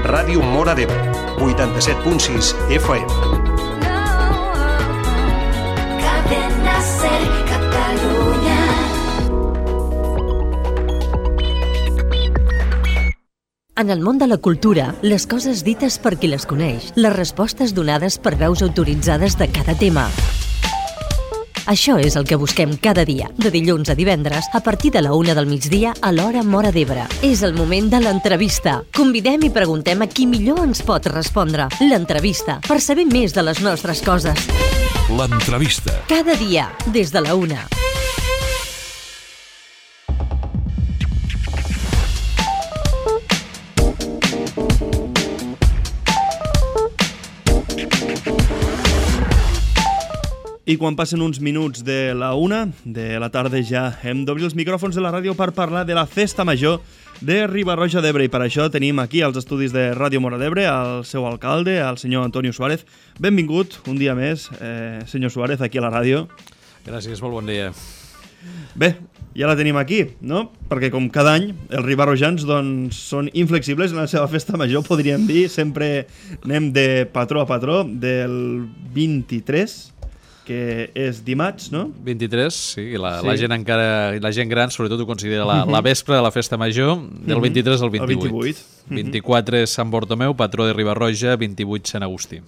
Ràdio Móra d'Ebre, 87.6 FM. Cadena Ser, Catalunya. En el món de la cultura, les coses dites per qui les coneix, les respostes donades per veus autoritzades de cada tema. Això és el que busquem cada dia, de dilluns a divendres, a partir de la 1 del migdia a l'hora Móra d'Ebre. És el moment de l'entrevista. Convidem i preguntem a qui millor ens pot respondre. L'entrevista, per saber més de les nostres coses. L'entrevista. Cada dia, des de la 1. I quan passen uns minuts de la 1 de la tarda ja hem d'obrir els micròfons de la ràdio per parlar de la Festa Major de Riba-roja d'Ebre. I per això tenim aquí als estudis de Ràdio Móra d'Ebre el seu alcalde, el senyor Antonio Suárez. Benvingut un dia més, senyor Suárez, aquí a la ràdio. Gràcies, molt bon dia. Bé, ja la tenim aquí, no? Perquè com cada any els ribarrojans doncs, són inflexibles en la seva Festa Major, podríem dir. Sempre anem de patró a patró, del 23, que és dimarts, no? 23, sí, la gent encara, la gent gran sobretot ho considera la vespre de la Festa Major, del 23 al 28. El 28. 24 és Sant Bartomeu, patró de Riba-roja, 28 Sant Agustí.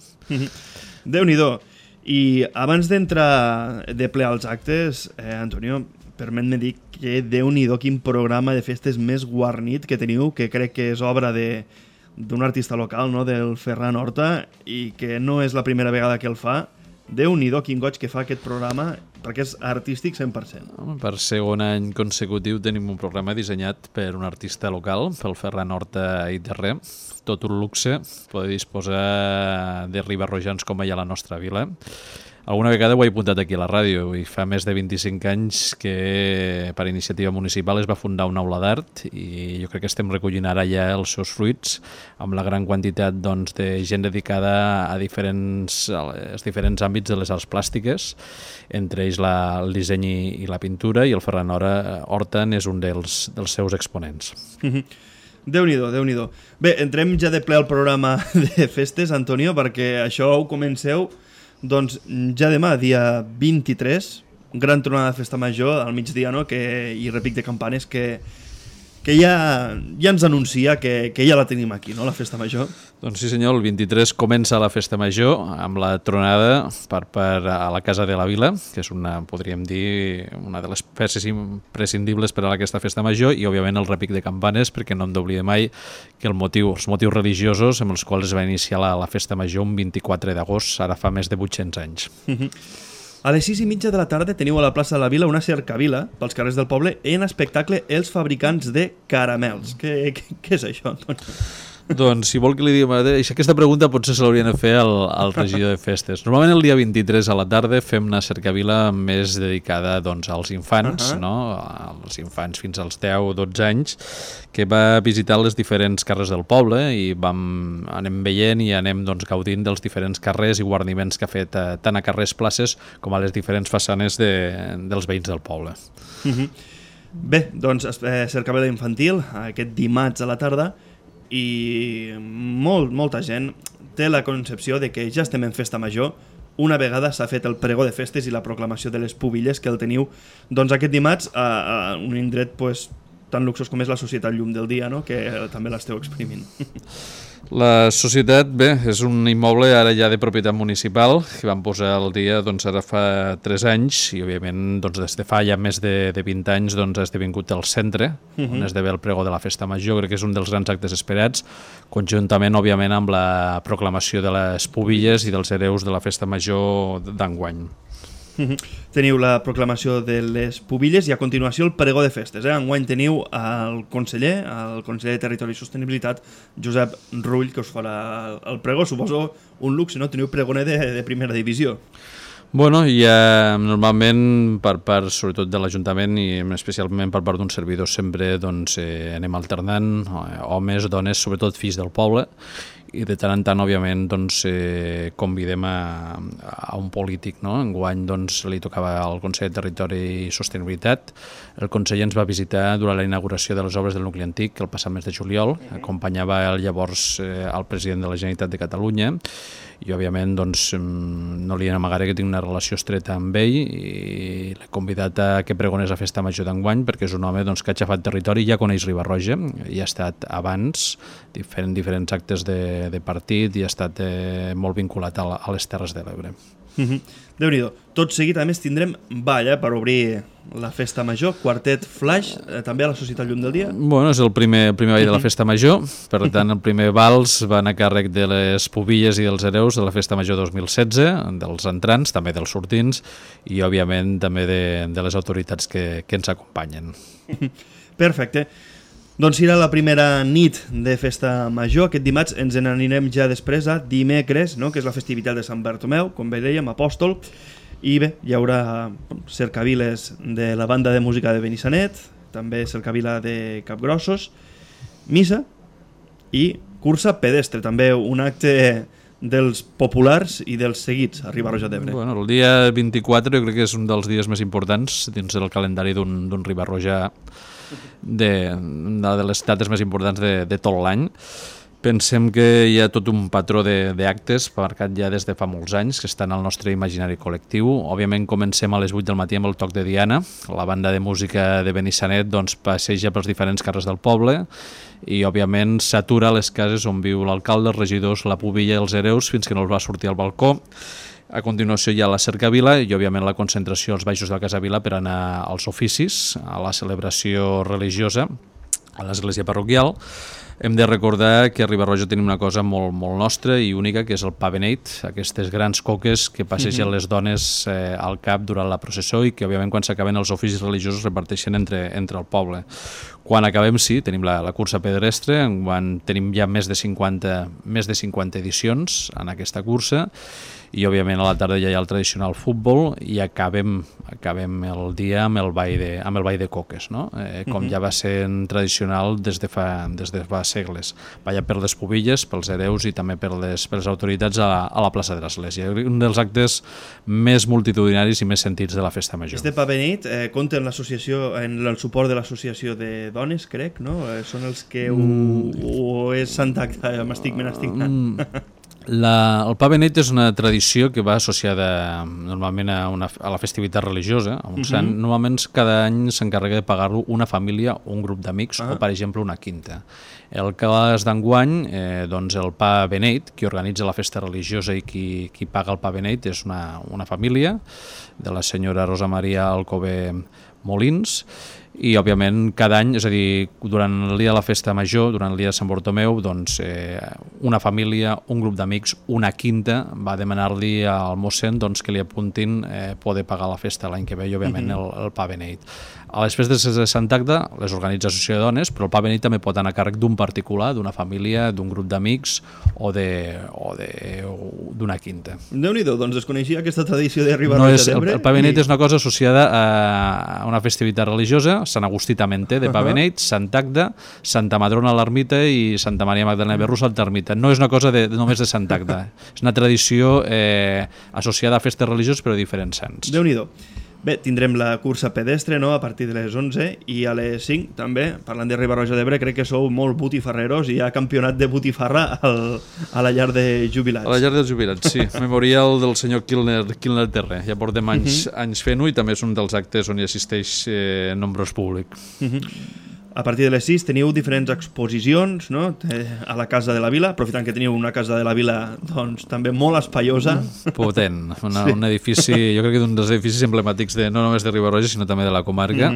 Déu-n'hi-do. I abans d'entrar de ple als actes, Antonio, permet-me dir que Déu-n'hi-do quin programa de festes més guarnit que teniu, que crec que és obra d'un artista local, no? Del Ferran Horta, i que no és la primera vegada que el fa. Déu-n'hi-do quin goig que fa aquest programa, perquè és artístic 100%. Per segon any consecutiu tenim un programa dissenyat per un artista local, pel Ferran Horta i Terrer. Tot un luxe poder disposar de ribarrojans com hi ha a la nostra vila. Alguna vegada ho he apuntat aquí a la ràdio i fa més de 25 anys que per iniciativa municipal es va fundar una aula d'art i jo crec que estem recollint ara ja els seus fruits amb la gran quantitat doncs, de gent dedicada a diferents àmbits de les arts plàstiques, entre ells el disseny i la pintura, i el Ferran Horta és un dels seus exponents. Déu-n'hi-do, Déu-n'hi-do. Bé, entrem ja de ple al programa de festes, Antonio, perquè això ho comenceu doncs ja demà, dia 23, gran tronada de Festa Major al migdia, no? I repic de campanes que ja ens anuncia que ja la tenim aquí, no? La Festa Major. Doncs sí senyor, el 23 comença la Festa Major amb la tronada a la Casa de la Vila, que és podríem dir, una de les peces imprescindibles per a aquesta Festa Major, i òbviament el repic de campanes, perquè no hem d'oblidar mai que els motius religiosos amb els quals es va iniciar la Festa Major un 24 d'agost, ara fa més de 800 anys. A les 6:30 de la tarda teniu a la plaça de la Vila una cercavila pels carrers del poble en espectacle Els fabricants de caramels. Què és això, Antoni? Doncs, si vol que li diguem... Aquesta pregunta potser se l'haurien de fer al regidor de festes. Normalment el dia 23 a la tarda fem una cercavila més dedicada doncs, als infants, no? Als infants fins als 10-12 anys, que va visitar les diferents carrers del poble i anem veient i anem doncs, gaudint dels diferents carrers i guarniments que ha fet tant a carrers, places, com a les diferents façanes dels veïns del poble. Bé, doncs cercavila infantil aquest dimarts a la tarda, i molta gent té la concepció de que ja estem en Festa Major una vegada s'ha fet el pregó de festes i la proclamació de les pubilles, que el teniu doncs aquest dimarts a un indret pues, tan luxós com és la Societat Llum del Dia, no? Que també l'esteu exprimint. La societat, bé, és un immoble ara ja de propietat municipal que van posar al dia doncs, ara fa 3 anys i òbviament doncs, des de fa ja més de 20 anys doncs, ha esdevingut el centre on es devé el pregó de la Festa Major. Crec que és un dels grans actes esperats, conjuntament òbviament amb la proclamació de les pubilles i dels hereus de la Festa Major d'enguany. Teniu la proclamació de les pubilles i a continuació el pregó de festes. Enguany teniu el conseller de Territori i Sostenibilitat, Josep Rull, que us farà el pregó. Suposo un luxe, no? Teniu pregoner de primera divisió. Bueno, i normalment per part, sobretot de l'Ajuntament i especialment per part d'un servidor sempre doncs, anem alternant, homes, dones, sobretot fills del poble, i de tant en tant, òbviament, doncs, convidem a un polític, no? Enguany doncs, li tocava al Consell de Territori i Sostenibilitat. El conseller ens va visitar durant la inauguració de les obres del nucli antic el passat mes de juliol, acompanyava llavors el president de la Generalitat de Catalunya, i òbviament doncs, no li amagaré que tinc una relació estreta amb ell i l'he convidat a que pregonés a Festa Major d'enguany perquè és un home doncs, que ha aixafat territori i ja coneix Riba-roja i ha estat abans fent diferents actes de partit i ha estat molt vinculat a les Terres de l'Ebre. Déu-n'hi-do. Tot seguit, a més, tindrem ball per obrir la Festa Major, quartet Flash, també a la Societat Llum del Dia. Bueno, és el primer ball de la Festa Major, per tant el primer vals va a càrrec de les pubilles i dels hereus de la Festa Major 2016, dels entrants, també dels sortints i òbviament també de les autoritats que ens acompanyen. Perfecte. Doncs serà la primera nit de Festa Major. Aquest dimarts ens n'anirem ja després a dimecres, no? Que és la festivitat de Sant Bartomeu, com bé dèiem, apòstol. I bé, hi haurà cercaviles de la banda de música de Benissanet, també cercavila de Capgrossos, missa i cursa pedestre, també un acte dels populars i dels seguits a Riba-roja d'Ebre. Bueno, el dia 24 jo crec que és un dels dies més importants dins del calendari d'un Riba-roja, de les dates més importants de tot l'any. Pensem que hi ha tot un patró d'actes marcat ja des de fa molts anys que estan al nostre imaginari col·lectiu. Òbviament comencem a les 8 del matí amb el toc de Diana. La banda de música de Benissanet doncs, passeja pels diferents carrers del poble i òbviament s'atura a les cases on viu l'alcalde, els regidors, la pubilla i els hereus fins que no els va sortir al balcó. A continuació hi ha la cercavila i òbviament la concentració als baixos de la Casa Vila per anar als oficis, a la celebració religiosa a l'església parroquial. Hem de recordar que a Riba-roja tenim una cosa molt, molt nostra i única, que és el pa beneit, aquestes grans coques que passegen les dones al cap durant la processó i que òbviament quan s'acaben els oficis religiosos reparteixen entre el poble. Quan acabem, sí, tenim la cursa pedestre, quan tenim ja més de 50 edicions en aquesta cursa i òbviament a la tarda ja hi ha el tradicional futbol i acabem el dia amb el ball de coques, no? Com ja va ser tradicional des de fa segles. Balla per les pubilles, pels hereus i també per les autoritats a la plaça de l'Església. Un dels actes més multitudinaris i més sentits de la Festa Major. Este pa beneit compta en l'associació, en el suport de l'associació de dones, crec, no? Són els que o és Sant Agda, m'estic menastigant. El pa beneit és una tradició que va associada normalment a la festivitat religiosa, a un sant. Normalment cada any s'encarrega de pagar-lo una família o un grup d'amics o, per exemple, una quinta. El cas d'enguany, doncs el pa beneit, qui organitza la festa religiosa i qui paga el pa beneit és una família de la senyora Rosa Maria Alcover Molins, i òbviament cada any, és a dir, durant el dia de la Festa Major, durant el dia de Sant Bartomeu, doncs una família, un grup d'amics, una quinta va demanar-li al mossèn doncs, que li apuntin poder pagar la festa l'any que ve i òbviament el pa beneit. A les festes de Sant Agda les organitza l'associació de dones, però el pa beneit també pot anar a càrrec d'un particular, d'una família, d'un grup d'amics o d'una quinta. Déu-n'hi-do, doncs desconeixia aquesta tradició de Riba-roja d'Ebre. El pa beneit és una cosa associada a una festivitat religiosa, Sant Agustí també en té, de pa beneit, Sant Agda, Santa Madrona a l'ermita i Santa Maria Magdalena de Berrús a l'ermita. No és una cosa només de Sant Agda, és una tradició associada a festes religioses però de diferents sants. Déu-n'hi-do. Bé, tindrem la cursa pedestre, no?, a partir de les 11 i a les 5 també, parlant de Riba-roja d'Ebre, crec que sou molt botifarreros i hi ha campionat de botifarra a la llar de jubilats. A la llar dels jubilats, sí. Memorial del senyor Quilner Terré. Ja portem anys fent-ho i també és un dels actes on hi assisteix nombrós públic. A partir de les 6 teniu diferents exposicions, no?, a la Casa de la Vila, aprofitant que teniu una Casa de la Vila doncs, també molt espaiosa. Potent, un edifici, jo crec que d'un dels edificis emblemàtics no només de Riba-roja, sinó també de la comarca.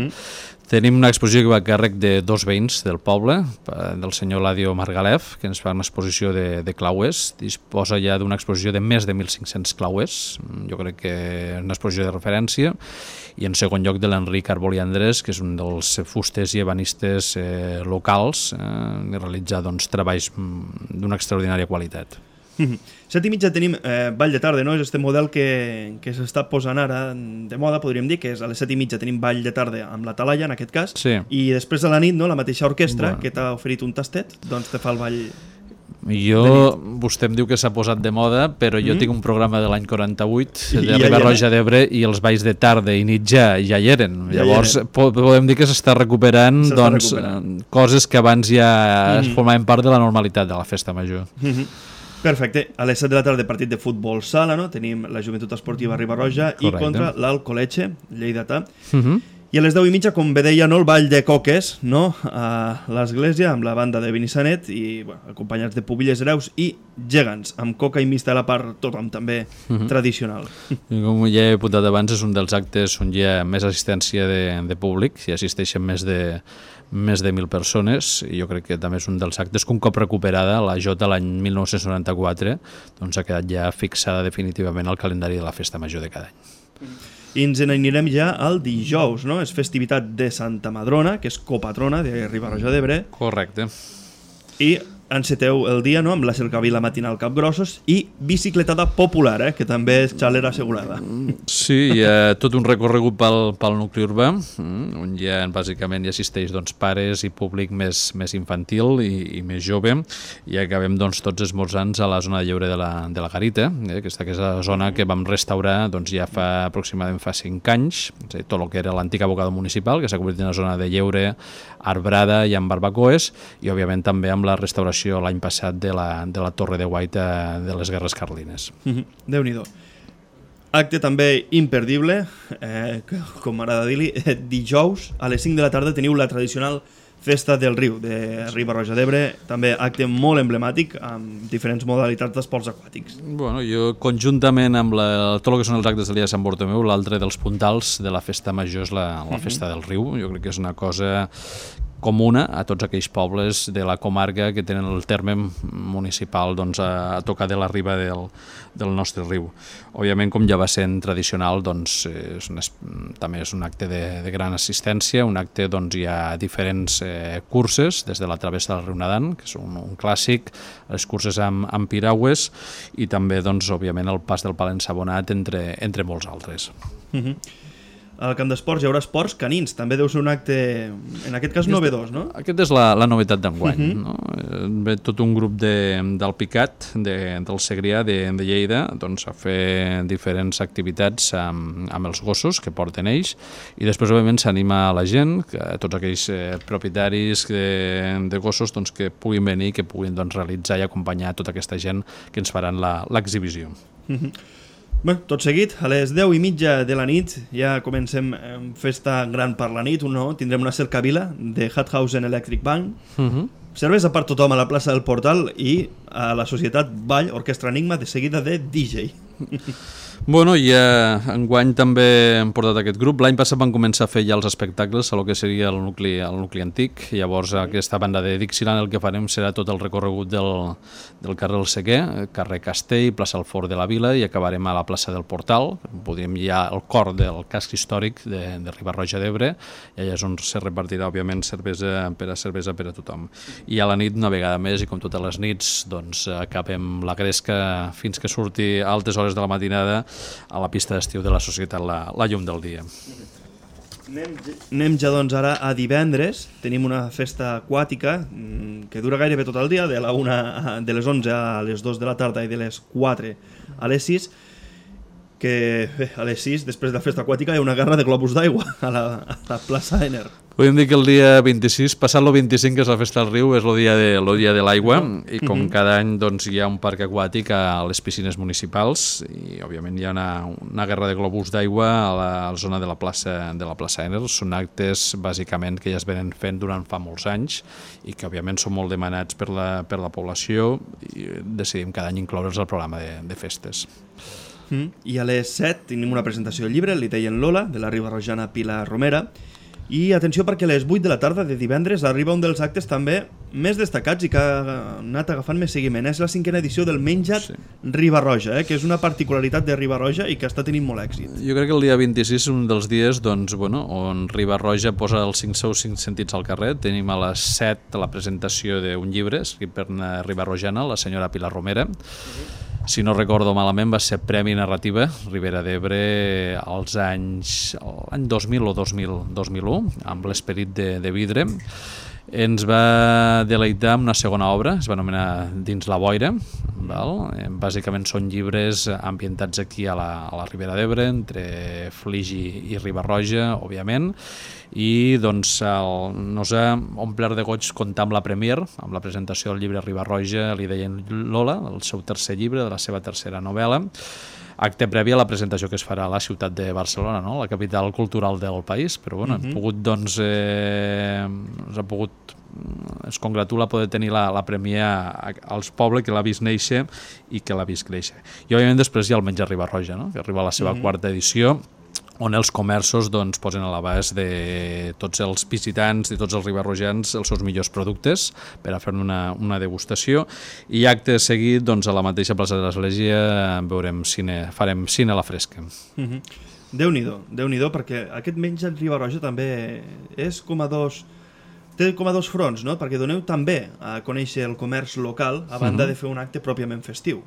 Tenim una exposició que va a càrrec de dos veïns del poble, del senyor Ladio Margalef, que ens fa una exposició de clauers. Disposa ja d'una exposició de més de 1.500 clauers, jo crec que és una exposició de referència, i en segon lloc de l'Enric Arbol i Andrés, que és un dels fusters i ebanistes locals, i realitza doncs, treballs d'una extraordinària qualitat. 7:30 tenim ball de tarda, no? És este model que s'està posant ara de moda, podríem dir, que és a les 7:30 tenim ball de tarda amb la Talaia, en aquest cas, Sí. i després de la nit, no? La mateixa orquestra que t'ha oferit un tastet, doncs te fa el ball... Vostè em diu que s'ha posat de moda, però jo tinc un programa de l'any 48 de ja Riba-roja d'Ebre i els balls de tarda i nit ja hi eren. Llavors podem dir que s'està recuperant coses que abans ja formaven part de la normalitat de la festa major. Perfecte. A les 7 de la tarda partit de futbol sala, no? Tenim la Joventut Esportiva Riba-roja i contra l'Alcoletxe, lleidatà. I a les 10:30, com bé deia, no, el ball de coques, no? A l'església amb la banda de Benissanet i acompanyats de pubilles hereus i gegants, amb coca i mista a la part, tothom també tradicional. Com ja he apuntat abans, és un dels actes on hi ha més assistència de públic, hi assisteixen més de 1.000 persones, i jo crec que també és un dels actes que un cop recuperada la Jota l'any 1994 doncs ha quedat ja fixada definitivament al calendari de la festa major de cada any. I ens n'anirem ja al dijous, no? És festivitat de Santa Madrona, que és copatrona de Riba-roja d'Ebre. Correcte. I enceteu el dia, no?, amb la cercavila matinal Capgrossos i bicicletada popular, que també és xalera assegurada. Sí, hi ha tot un recorregut pel nucli urbà, on bàsicament hi assisteix pares i públic més infantil i més jove, i acabem tots esmorzant a la zona de lleure de la Garita, que és la zona que vam restaurar ja aproximadament fa 5 anys, tot el que era l'antic abocador municipal, que s'ha convertit en una zona de lleure arbrada i amb barbacoes, i òbviament també amb la restauració l'any passat de la Torre de Guaita de les Guerres Carlines. Déu-n'hi-do. Acte també imperdible, com m'agrada dir-li, dijous a les 5 de la tarda teniu la tradicional Festa del Riu de Riba-roja d'Ebre, també acte molt emblemàtic amb diferents modalitats d'esports aquàtics. Bueno, jo conjuntament amb tot el que són els actes del dia de Sant Bartomeu, l'altre dels puntals de la festa major és la Festa del Riu. Jo crec que és una cosa comuna a tots aquells pobles de la comarca que tenen el terme municipal a tocar de la riba del nostre riu. Òbviament, com ja va sent tradicional, també és un acte de gran assistència, un acte hi ha diferents curses, des de la travessa del riu Nadan, que és un clàssic, les curses amb piragües i també, òbviament, el pas del pal ensabonat entre molts altres. Al camp d'esports hi haurà esports canins, també deu ser un acte, en aquest cas, novedós, no? Aquest és la novetat d'enguany. Ve tot un grup del Picat, del Segrià, de Lleida, a fer diferents activitats amb els gossos que porten ells, i després, òbviament, s'anima a la gent, tots aquells propietaris de gossos que puguin venir, que puguin realitzar i acompanyar tota aquesta gent que ens faran l'exhibició. Bé, tot seguit, a les 10:30 de la nit ja comencem festa gran per la nit, tindrem una cercavila de Hathausen Electric Band, cervesa per tothom a la plaça del Portal i a la Societat Ball Orquestra Enigma, de seguida de DJ. Bueno, i enguany també hem portat aquest grup. L'any passat van començar a fer ja els espectacles a lo que seria el nucli antic. Llavors, aquesta banda de Dixieland el que farem serà tot el recorregut del carrer El Seguer, carrer Castell, plaça del Fort de la Vila, i acabarem a la plaça del Portal. Podríem dir el cor del casc històric de Riba-roja d'Ebre, i allà és on se repartirà, òbviament, cervesa per a tothom. I a la nit, una vegada més, i com totes les nits, acabem la gresca fins que surti a altes hores de la matinada a la pista d'estiu de la Societat La Llum del Dia. Anem ja ara a divendres. Tenim una festa aquàtica que dura gairebé tot el dia, de les 11 a les 2 de la tarda i de les 4 a les 6, que a les 6, després de la festa aquàtica, hi ha una guerra de globus d'aigua a la plaça Ener. Podem dir que el dia 26, passat el 25, que és la festa del riu, és el dia de l'aigua, i com cada any hi ha un parc aquàtic a les piscines municipals, i òbviament hi ha una guerra de globus d'aigua a la zona de la plaça Ener. Són actes bàsicament que ja es venen fent durant fa molts anys i que òbviament són molt demanats per la població, i decidim cada any incloure'ls al programa de festes. I a les 7 tenim una presentació de llibre, Li deien Lola, de la ribarrojana Pilar Romera, I atenció perquè a les 8 de la tarda de divendres arriba un dels actes també més destacats i que ha anat agafant més seguiment. És la 5a edició del Menja't Riba-roja, que és una particularitat de Riba-roja i que està tenint molt èxit. Jo crec que el dia 26 és un dels dies on Riba-roja posa els 5 sentits al carrer. Tenim a les 7 la presentació d'un llibre escrit per una ribarrojana, la senyora Pilar Romera. Si no recordo malament, va ser Premi Narrativa Ribera d'Ebre l'any 2000 o 2001, amb l'Esperit de vidre. Ens va deleitar amb una segona obra, es va anomenar Dins la boira. Bàsicament són llibres ambientats aquí a la Ribera d'Ebre, entre Flix i Riba-roja, òbviament, i doncs nos ha omplert de goig comptar amb la premier, amb la presentació del llibre Riba-roja, li deien Lola, el seu tercer llibre, de la seva tercera novel·la. Acte previ a la presentació que es farà a la ciutat de Barcelona, no? La capital cultural del país, però bueno, hem pogut, doncs, es congratula poder tenir la premia als pobles que l'ha vist néixer i que l'ha vist créixer. I òbviament després hi ha el Menja't Riba-roja, no? Que arriba a la seva quarta edició, on els comerços doncs, posen a l'abast de tots els visitants, de tots els ribarrojans, els seus millors productes per a fer una degustació. I acte seguit, doncs, a la mateixa plaça de l'Església farem cine a la fresca. Déu-n'hi-do, perquè aquest Menja't Riba-roja també és té com a dos fronts, no? Perquè doneu també a conèixer el comerç local a banda de fer un acte pròpiament festiu.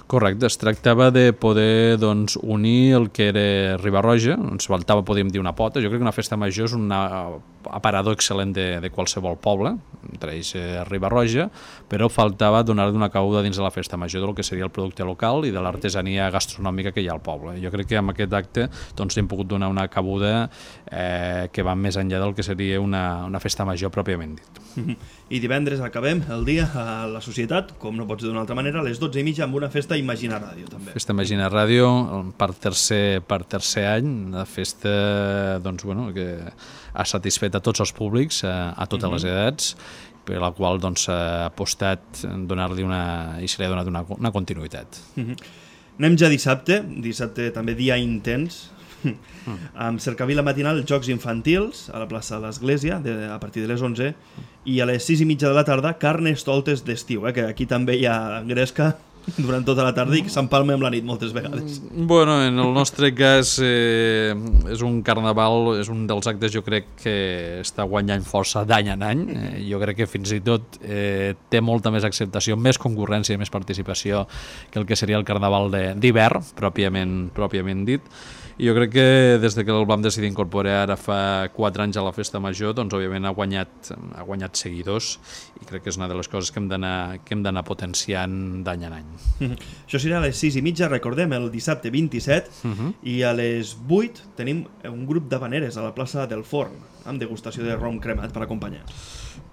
Correcte, es tractava de poder unir el que era Riba-roja, ens faltava, podríem dir, una pota. Jo crec que una festa major és un aparador excel·lent de qualsevol poble, entre ells Riba-roja, però faltava donar-li una cabuda dins de la festa major del que seria el producte local i de l'artesania gastronòmica que hi ha al poble. Jo crec que amb aquest acte hem pogut donar una cabuda que va més enllà del que seria una festa major pròpiament dit. I divendres acabem el dia a la societat, com no pot ser d'una altra manera, a les 12:30 amb una festa Imagina Ràdio també. Festa Imagina Ràdio per tercer any, una festa que ha satisfet a tots els públics, a totes les edats, per la qual ha apostat donar-li i se li ha donat una continuïtat. Anem ja dissabte també dia intens, amb cercavila matinal, jocs infantils a la plaça de l'Església a partir de les 11 i a les 6:30 de la tarda carnestoltes d'estiu, que aquí també hi ha gresca durant tota la tarda i que s'empalma amb la nit moltes vegades. Bueno, en el nostre cas és un carnaval, és un dels actes jo crec que està guanyant força d'any en any. Jo crec que fins i tot té molta més acceptació, més concurrència i més participació que el que seria el carnaval d'hivern, pròpiament dit. I jo crec que des que el vam decidir incorporar ara fa 4 anys a la festa major, doncs òbviament ha guanyat seguidors i crec que és una de les coses que hem d'anar potenciant d'any en any. Això serà a les 6:30, recordem, el dissabte 27, i a les 8 tenim un grup d'havaneres a la plaça del Forn, amb degustació de rom cremat per acompanyar.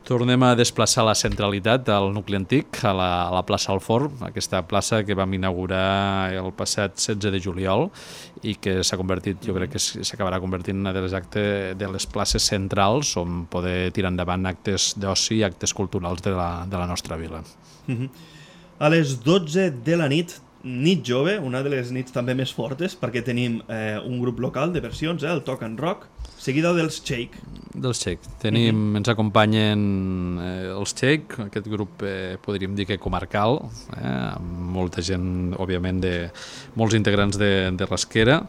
Tornem a desplaçar la centralitat al nucli antic, a la plaça del Forn, aquesta plaça que vam inaugurar el passat 16 de juliol i que s'ha convertit, jo crec que s'acabarà convertint en una de les places centrals on poder tirar endavant actes d'oci i actes culturals de la nostra vila. A les 12 de la nit jove, una de les nits també més fortes, perquè tenim un grup local de versions, el Talk and Rock, seguida dels Shake. Ens acompanyen els Shake, aquest grup podríem dir que comarcal, amb molta gent, òbviament, molts integrants de Rasquera.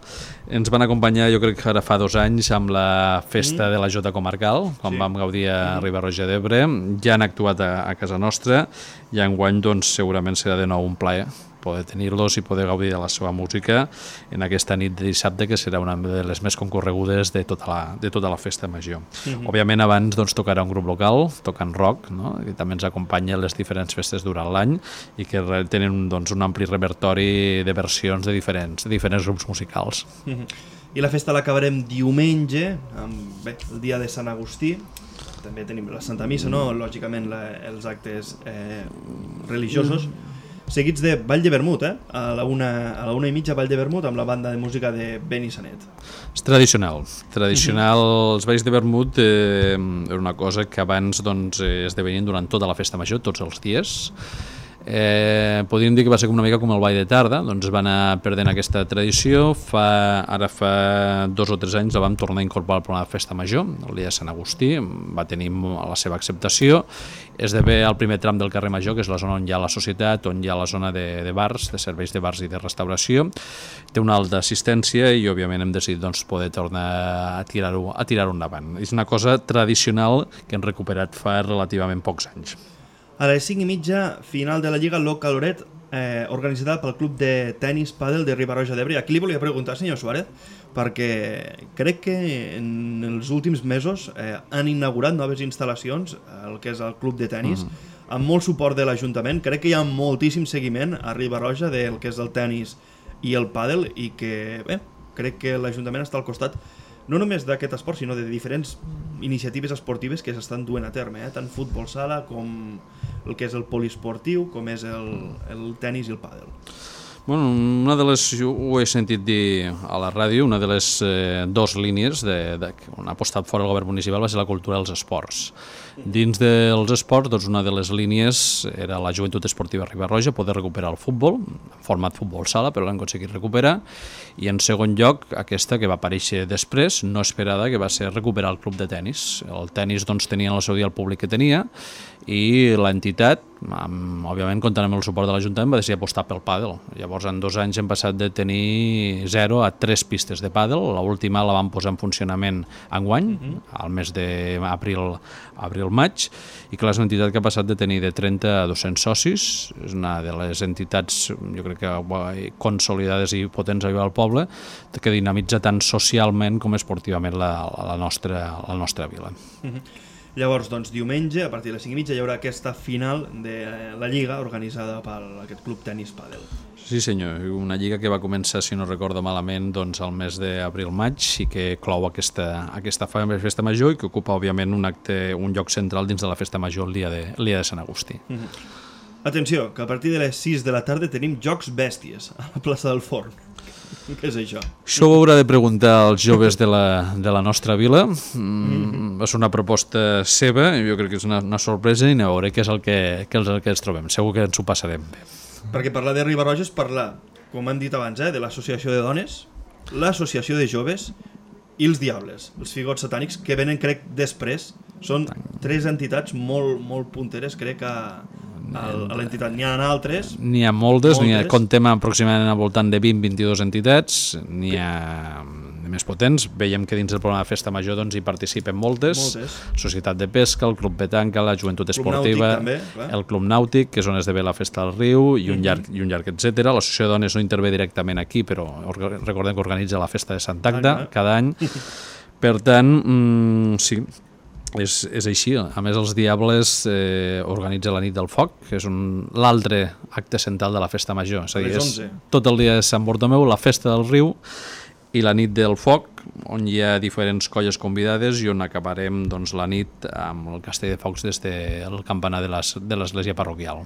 Ens van acompanyar, jo crec que ara fa 2 anys, amb la festa de la Jota Comarcal, quan vam gaudir a Riba-roja d'Ebre. Ja han actuat a casa nostra i enguany doncs, segurament serà de nou un plaer poder tenir-los i poder gaudir de la seva música en aquesta nit de dissabte, que serà una de les més concorregudes de tota la festa major. Òbviament abans tocarà un grup local, Talk and Rock, no? Que també ens acompanya a les diferents festes durant l'any i que tenen un ampli repertori de versions de diferents grups musicals. I la festa l'acabarem diumenge, el dia de Sant Agustí. També tenim la Santa Missa, no? Lògicament els actes religiosos, seguits de Ball de Vermut, a la 1:30 Ball de Vermut amb la banda de música de Benissanet. És tradicional. Els balls de Vermut era una cosa que abans esdevenien durant tota la festa major, tots els dies. Podríem dir que va ser una mica com el ball de tarda, doncs va anar perdent aquesta tradició. Ara fa 2 o 3 anys la vam tornar a incorporar al programa de Festa Major, el dia de Sant Agustí, va tenir la seva acceptació. Esdevé el primer tram del carrer Major, que és la zona on hi ha la societat, on hi ha la zona de bars, de serveis de bars i de restauració. Té una alta assistència i òbviament hem decidit doncs, poder tornar a tirar-ho endavant. És una cosa tradicional que hem recuperat fa relativament pocs anys. A les 5:30, final de la Lliga Local Loret, organitzada pel Club de Tenis Pàdel de Riba-roja d'Ebre. Aquí li volia preguntar, senyor Suárez, perquè crec que en els últims mesos han inaugurat noves instal·lacions, el que és el Club de Tenis, amb molt suport de l'Ajuntament. Crec que hi ha moltíssim seguiment a Riba-roja del que és el tenis i el pàdel i que, crec que l'Ajuntament està al costat no només d'aquest esport, sinó de diferents iniciatives esportives que s'estan duent a terme, tant futbol sala com el que és el poliesportiu, com és el tenis i el pàdel. Bueno, una de les, ho he sentit dir a la ràdio, una de les 2 línies on ha apostat fora el govern municipal va ser la cultura dels esports. Dins dels esports, doncs una de les línies era la joventut esportiva Riba-roja, poder recuperar el futbol, en format futbol sala, però l'han aconseguit recuperar, i en segon lloc, aquesta que va aparèixer després, no esperada, que va ser recuperar el club de tenis. El tenis doncs, tenia en el seu dia el públic que tenia, i l'entitat, òbviament comptant amb el suport de l'Ajuntament, va decidir apostar pel pàdel. Llavors, en 2 anys hem passat de tenir 0 a 3 pistes de pàdel. L'última la vam posar en funcionament enguany, al mes d'abril-maig, i que és una entitat que ha passat de tenir de 30 a 200 socis. És una de les entitats, jo crec que consolidades i potents al poble, que dinamitza tant socialment com esportivament la nostra vila. Llavors, doncs, diumenge, a partir de les 5:30, hi haurà aquesta final de la Lliga organitzada per aquest Club Tenis Pàdel. Sí senyor, una lliga que va començar, si no recordo malament, doncs al mes d'abril-maig i que clou aquesta festa major i que ocupa, òbviament, un lloc central dins de la festa major el dia de Sant Agustí. Atenció, que a partir de les 6 de la tarda tenim Jocs Bèsties a la plaça del Forn. Què és això? Això ho haurà de preguntar als joves de la nostra vila. Va ser una proposta seva, jo crec que és una sorpresa i a veure què és el que ens trobem. Segur que ens ho passarem bé. Perquè parlar de Riba-roja és parlar, com han dit abans, de l'associació de dones, l'associació de joves i els diables, els figots satànics, que venen, crec, després. Són 3 entitats molt punteres, crec, a l'entitat. N'hi ha altres? N'hi ha moltes. Contem aproximadament al voltant de 20-22 entitats, n'hi ha més potents. Veiem que dins del programa de Festa Major doncs, hi participen moltes. Societat de Pesca, el Club Petanca, la Joventut Esportiva, també, el Club Nàutic, que és on esdevé la Festa del Riu, i un llarg, etc. L'associació de dones no intervé directament aquí, però recordem que organitza la Festa de Sant Agda cada any. Per tant, sí, és així. A més, els Diables organitza la nit del foc, que és l'altre acte central de la Festa Major. És a dir, és tot el dia de Sant Bartomeu, la Festa del Riu i la nit del foc, on hi ha diferents colles convidades i on acabarem doncs, la nit amb el castell de focs des del campanar de l'església parroquial.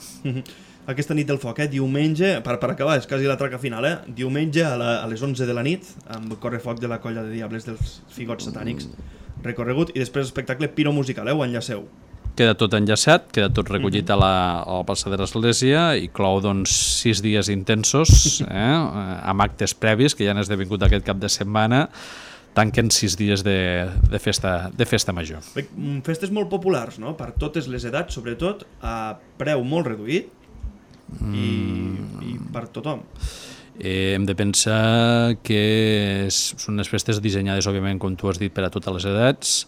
Aquesta nit del foc, diumenge, per acabar, és quasi la traca final, diumenge a les 11 de la nit, amb el correfoc de la colla de Diables dels Figots Satànics, recorregut, i després espectacle piromusical, ho enllaceu. Queda tot enllaçat, queda tot recollit a la plaça de l'església i clou doncs, 6 dies intensos amb actes previs que ja han esdevingut aquest cap de setmana. Tanquen 6 dies de festa major. Festes molt populars, no? Per totes les edats, sobretot a preu molt reduït i per tothom. Hem de pensar que són unes festes dissenyades, òbviament, com tu has dit, per a totes les edats.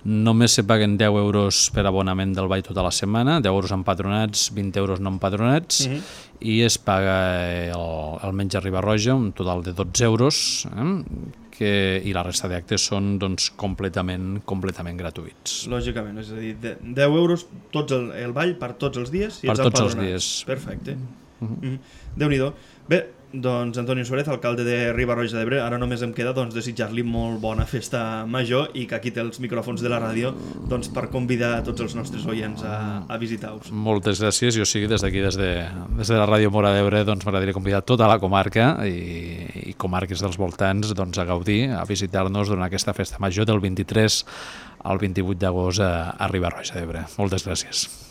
Només se paguen 10 euros per abonament del ball tota la setmana, 10 euros empadronats, 20 euros no empadronats, i es paga el menjar Riba-roja, un total de 12 euros, i la resta d'actes són doncs, completament gratuïts. Lògicament, és a dir, 10 euros el ball per tots els dies i els empadronats. Per tots els dies. Perfecte. Déu-n'hi-do. Bé, doncs Antonio Suárez, alcalde de Riba-roja d'Ebre, ara només em queda desitjar-li molt bona festa major i que aquí té els micròfons de la ràdio per convidar tots els nostres oients a visitar-vos. Moltes gràcies. Jo sí, des d'aquí, des de la Ràdio Mora d'Ebre, m'agradaria convidar tota la comarca i comarques dels voltants a gaudir, a visitar-nos durant aquesta festa major del 23 al 28 d'agost a Riba-roja d'Ebre. Moltes gràcies.